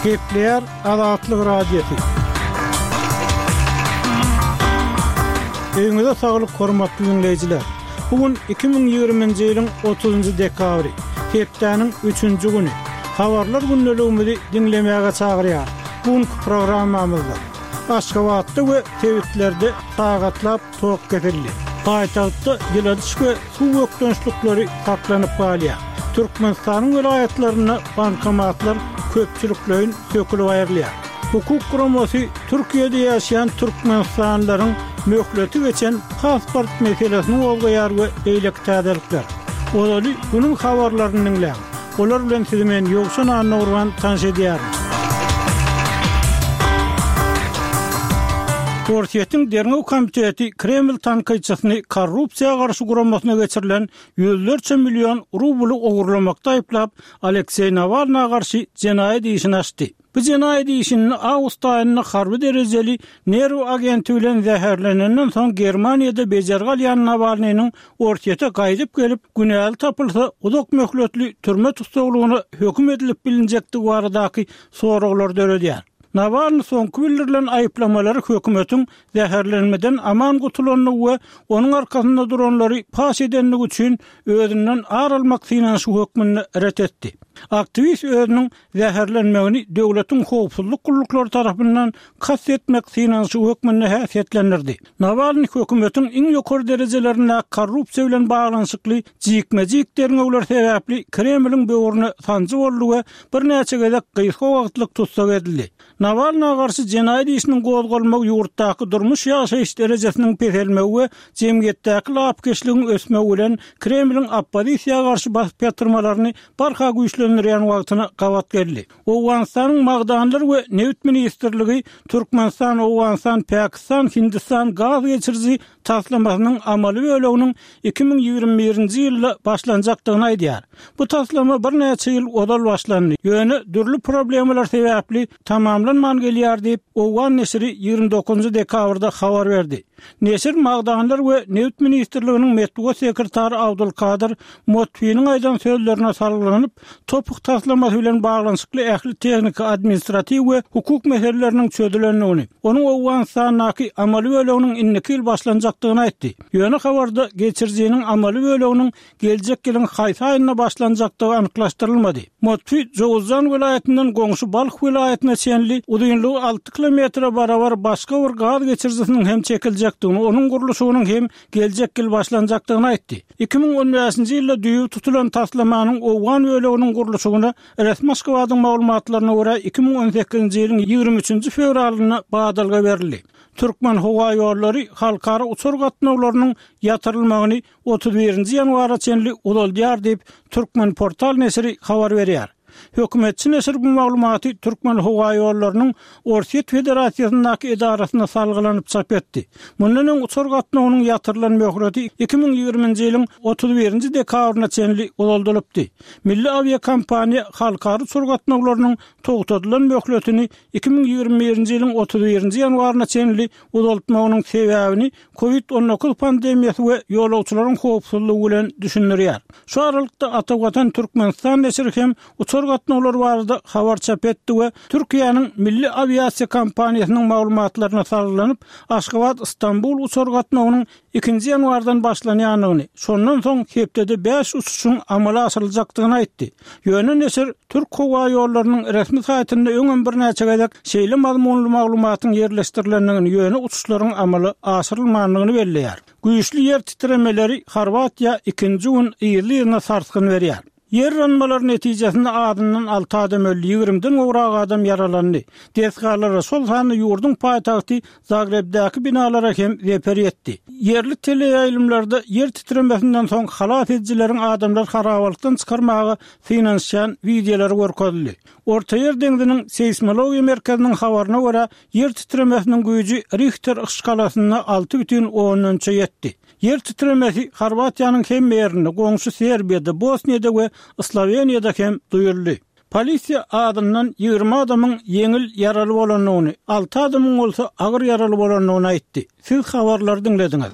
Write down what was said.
Gepleýär Azatlyk Radiosy. Öýüňize saglyk hormatly diňleýjiler. Bu gün 2020-nji ýylyň 30-njy dekabry, hepdäniň üçünji güni. Habarlar gündeligimizi diňlemäge çagyrýar. Bu günki programmamyzda Aşgabatda we sebitlerde sagatlap tok kesildi. Paýtagtda ýyladyş we suw bökdençlikleri saklanyp galýar. Türkmenistanyň welaýatlarynda bankomatlar köpçülikleýin sökülip aýrylýar. Hukuk guramasy Türkiýede ýaşaýan türkmenistanlylaryň möhleti geçen pasport meselesini gozgaýar we beýleki täzelikler. Ozaly günüň habarlaryny diňläň. Olar bilen sizi men Ýowşan Annagurban tanyş edýärin. Orsýetiň Derňew komiteti Kreml tankytçysyny korrupsiýa garşy guramasyna geçirilen ýüzlerçe million rubly ogurlamakda aýyplap, Alekseý Nawalna garşy jenaýat işini açdy. Bu jenaýat işinde awgust aýynda harby derejeli nerw agenti bilen zäherlenenden soň Germaniýada bejergi alýan Nawalnynyň Orsýete gaýdyp gelip, günäli tapylsa, uzak möhletli türme tussaglygyna höküm edilip bilinjekdigi baradaky soraglary döredýär. Nawalny soňky bildirilen aýyplamalary hökümetiň zäherlenmeden aman gutulandygy we onuň arkasynda duranlary paş edendigi üçin özünden ar almak synanyşygy hökmünde ret etdi. Aktiwist özüniň zäherlenmegini döwletiň howpsuzlyk gulluklary tarapyndan kast etmek synanyşygy hökmünde häsiýetlendirdi. Nawalnyý hökümetiň iň ýokary derejelerindäki korrupsiýa bilen baglanyşykly jikme-jik derňewler sebäpli Kremliň böwrüne sanjy boldy we birnäçe gezek gysga wagtlyk tussag edildi. Nawalna garşy jenaýat işiniň gozgalmagy ýurtdaky durmuş-ýaşaýyş derejesiniň peselmegi we jemgyýetdäki lapykeçligiň ösmegi bilen Kremliň oppozisiýa garşy basyp ýatyrmalaryny barha güýçlendirýän wagtyna gabat geldi. Owganystanyň Magdanlar we nebit ministrligi Türkmenistan, Owganystan, Pakistan, Hindistan gaz geçiriji taslamasynyň amaly böleginiň 2021-nji ýylda başlanjakdygyny aýdýar. Bu taslama birnäçe ýyl ozal başlandy, ýöne dürli problemalar sebäpli tamamlanman gelýär diýip, owgan neşiri 29 dekabrda habar berdi. Neşir Magdanlar we nebit ministrliginiň metbugat sekretary Abdulkadyr Motfiniň aýdan sözlerine salgylanyp, TOPH taslamasy bilen baglanyşykly ähli tehniki, administratiw we hukuk meseleleriniň çözülendigini, onuň Owganystandaky amaly böleginiň indiki ýyl başlanjakdygyny aýtdy. Ýöne habarda geçirijiniň amaly böleginiň geljek ýylyň haýsy aýynda başlanjakdygy anyklaşdyrylmady. Motfi Jowuzjan welaýatyndan goňşy Balh welaýatyna çenli uzynlygy alty kilometre barabar başga bir gaz geçirijisiniň hem çekiljekdigini, onuň gurluşygynyň hem geljek ýyl başlanjakdygyny aýtdy. 2015-nji ýylda düýbi tutulan taslamanyň owgan böleginiň gurluşygyna resmi Aşgabadyň maglumatlaryna görä 2018-nji ýylyň 23-nji fewralynda badalga berildi. Türkmenhowaýollary halkara uçar gatnawlarynyň ýatyrylmagyny 31-nji ýanwara çenli uzaldýar diýip, Türkmenportal neşiri habar berýär. Hökümetçi neşir bu maglumaty Türkmenhowaýollarynyň Orsýet Federasiýasyndaky edarasyna salgylanyp çap etdi. Mundan öň uçar gatnawynyň ýatyrylan möhleti 2020-nji ýylyň 31-nji dekabryna çenli uzaldylypdy. Milli awiakompaniýa halkara uçar gatnawlarynyň togtadylan möhletini 2021-nji ýylyň 31-nji ýanwaryna çenli uzaltmagynyň sebäbini Covid 19 pandemiýasy we ýolagçylaryň howpsuzlygy bilen düşündirýär. Şu aralykda Atavatan Türkmenistan neşiri hem uçar gatnawlary barada habar çap etdi we Türkiýäniň milli awiasiýa kompaniýasynyň maglumatlaryna salgylanyp, Aşgabat-Stambul uçar gatnawynyň ikinji ýanwardan başlanýandygyny, şondan soň hepdede bäş uçuşyň amala aşyryljakdygyny aýtdy. Ýöne neşir Türk howa ýollarynyň resmi saýtynda öňem birnäçe gezek şeýle mazmunly maglumatyň ýerleşdirilendigini, ýöne uçuşlaryň amala aşyrylmandygyny belleýär. Güýçli ýer titremeleri Horwatiýa ikinji gün yzly-yzyna sarsgyn berýär. Ýer yranmalary netijesinde azyndan alty adam öldi, ýigrimiden gowrak adam ýaralandy. Desgalara, şol sanda ýurduň paýtagty Zagrebdäki binalara hem zeper ýetdi. Ýerli teleýaýlymlarda ýer titremesinden soň halas edijileriň adamlary harabalykdan çykarmaga synanyşýan wideolary görkezildi. Ortaýer deňziniň seýsmologiýa merkeziniň habaryna görä, ýer titremesiniň güýji Rihter yşgalasynda 6,3 ýetdi. Ýer titremesi Horwatiýanyň hemme ýerinde, goňşy Serbiýada, Bosniýada we Sloweniýada hem duýuldy. Polisiýa azyndan 20 adamyň ýeňil ýaraly bolandygyny, alty adamyň bolsa agyr ýaraly bolandygyny aýtdy. Siz habarlary diňlediňiz.